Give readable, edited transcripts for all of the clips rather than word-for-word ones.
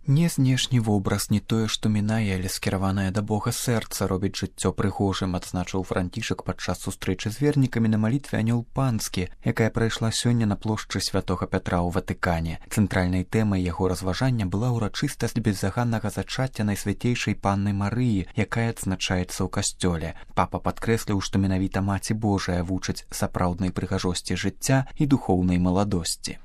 Не знешні вобраз, не тое, што мінае, але скіраванае да Бога сэрца робіць жыццё прыгожым, адзначыў Францішак падчас сустрэчы з вернікамі на малітве «Анёл панскі», якая прайшла сёння на плошчы Святога Пятра ў Ватыкане. Цэнтральнай тэмай яго разважання была ўрачыстасць беззаганнага зачацця Найсвяцейшай Панны Марыі, якая адзначаецца ў касцёле. Папа падкрэсліў, што менавіта Маці Божая вучыць сапраўднай прыгажосці жыцця і духоўнай маладосці.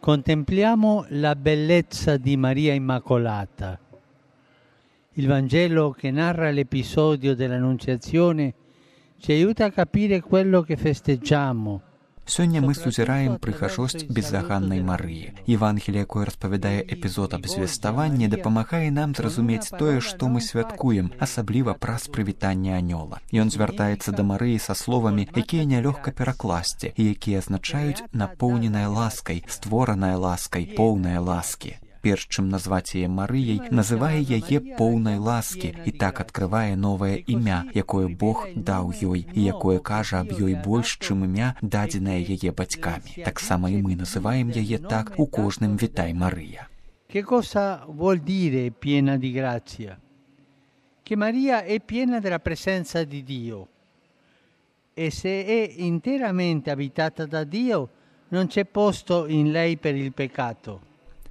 Contempliamo la bellezza di Maria Immacolata. Il Vangelo che narra l'episodio dell'Annunciazione ci aiuta a capire quello che festeggiamo. Сёння мы сузіраем прыгажосць беззаганнай Марыі. Евангелие, якое распавядае эпізод абзвеставання, дапамагае нам зразумець тое, што мы святкуем, асабліва праз прывітанне анёла. Ён звяртаецца да Марыі са словамі, якія нялёгка перакласці і якія азначаюць напоўненая ласкай, створаная ласкай, поўная ласкі. Перш чым назваць яе Марыяй, называе яе поўнай ласкі і так адкрывае новае імя, якое Бог даў ёй і якое кажа аб ёй больш, чым імя, дадзенае яе бацькамі. Таксама і мы называем яе так у кожным «Вітай, Марыя». Che cosa vuol dire piena di grazia? Che Maria è piena della presenza di Dio e se è interamente abitata da Dio non c'è posto in lei per il peccato.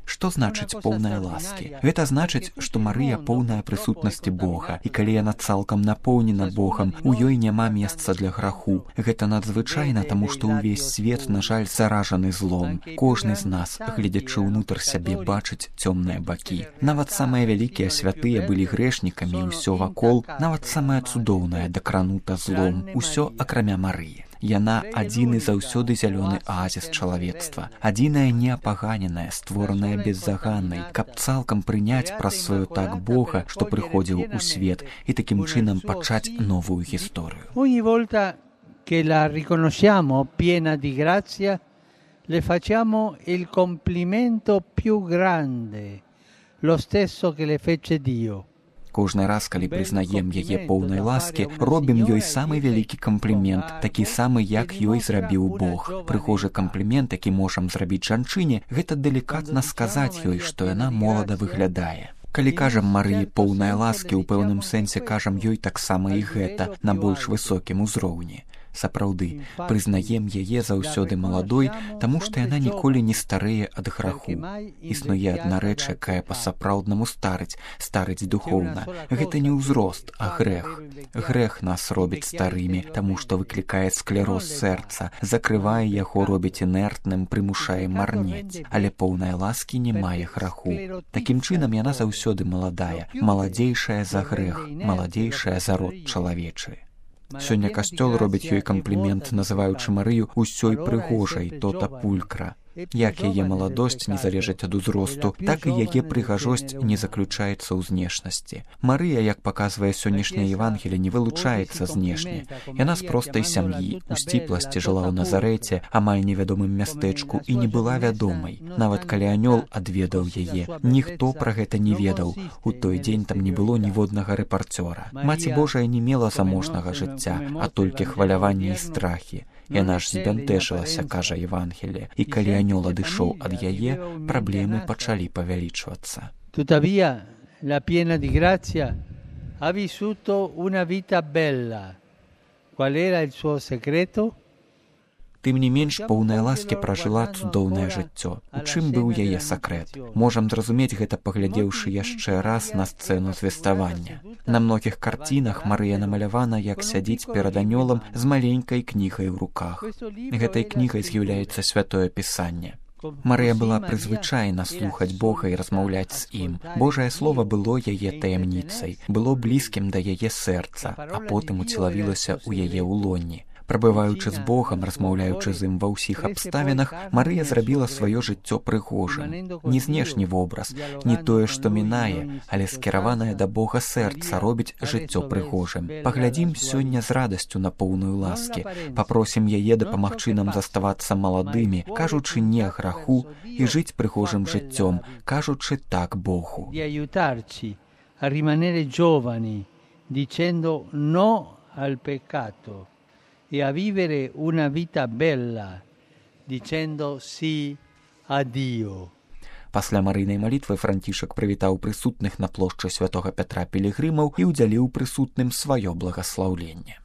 Што значыць поўная ласкі? Гэта значыць, што Марыя поўная прысутнасці Бога, і калі яна цалкам напоўнена Богам, у ёй няма месца для граху. Гэта надзвычайна, таму што ўвесь свет, на жаль, заражаны злом. Кожны з нас, гледзячы ўнутр сябе, бачыць цёмныя бакі. Нават самыя вялікія святыя былі грэшнікамі, і ўсё вакол, нават самае цудоўнае дакранута злом, усё акрамя Марыі. Яна адзіны заўсёды зялёны аазіс чалавецтва, адзіная неапаганеная, створаная беззаганнай, каб цалкам прыняць праз сваё так Бога, што прыходзіў у свет, і такім чынам пачаць новую гісторыю. Ogni volta che la riconosciamo piena di grazia, le facciamo il complimento più grande, lo stesso che le fece Dio. Кожны раз, калі прызнаем яе поўнай ласкі, робім ёй самы вялікі камплімент, такі самы, як ёй зрабіў Бог. Прыгожы камплімент, які можам зрабіць жанчыне, гэта далікатна сказаць ёй, што яна молада выглядае. Калі кажам Марыі поўнай ласкі, у пэўным сэнсе кажам ёй таксама і гэта на больш высокім узроўні. Сапраўды, прызнаем яе заўсёды маладой, таму што яна ніколі не старэе ад граху. Існуе адна рэч, якая па-сапраўднаму старыць духоўна. Гэта не ўзрост, а грэх. Грэх нас робіць старымі, таму што выклікае склероз сэрца, закрывае яго, робіць інертным, прымушае марнець. Але поўнай ласкі не мае граху. Такім чынам яна заўсёды маладая, маладзейшая за грэх, маладзейшая за род чалавечы. Сёння касцёл робіць ёй камплімент, называючы Марыю ўсёй прыгожай, тота пулькра. Як яе маладосць не залежыць ад узросту, так і яе прыгажосць не заключаецца ў знешнасці. Марыя, як паказвае сённяшняе Евангелие, не вылучаецца знешне. Яна з простай сям'і, у сціпласці жыла ў Назарэце, амаль невядомым мястэчку, і не была вядомай. Нават калі анёл адведаў яе, ніхто пра гэта не ведаў. У той дзень там не было ніводнага рэпарцёра. Маці Божая не мела заможнага жыцця, а толькі хваляванне і страхі. Яна ж збянтэжылася, кажа Евангелие, і калі анёл адышоў ад яе, праблемы пачалі павялічвацца. Tuttavia, la piena di grazia ha vissuto una vita bella. Qual era il suo segreto? Тым не менш, поўная ласкі пражыла цудоўнае жыццё. У чым быў яе сакрэт? Можам зразумець гэта, паглядзеўшы яшчэ раз на сцэну звеставання. На многіх карцінах Марыя намалявана, як сядзіць перад анёлам з маленькай кнігай у руках. Гэтай кнігай з'яўляецца святое пісанне. Марыя была прызвычаена слухаць Бога і размаўляць з ім. Божае слово было яе таямніцай, было блізкім да яе сэрца, а потым уцелавілася ў яе ўлонні. Прабываючы з Богам, размаўляючы з ім ва ўсіх абставінах, Марыя зрабіла сваё жыццё прыгожым. Не знешні вобраз, не тое, што мінае, але скіраванае да Бога сэрца робіць жыццё прыгожым. Паглядзім сёння з радасцю на поўную ласкі. Папросім яе дапамагчы нам заставацца маладымі, кажучы не граху, і жыць прыгожым жыццём, кажучы так Богу. A rimanere giovani, dicendo no al peccato. E a vivere una vita bella, dicendo sì a Dio. Пасля марыйнай малітвы Францішак прывітаў прысутных на плошчы святога Пятра пілігрымаў і ўдзяліў прысутным сваё благаслаўленне.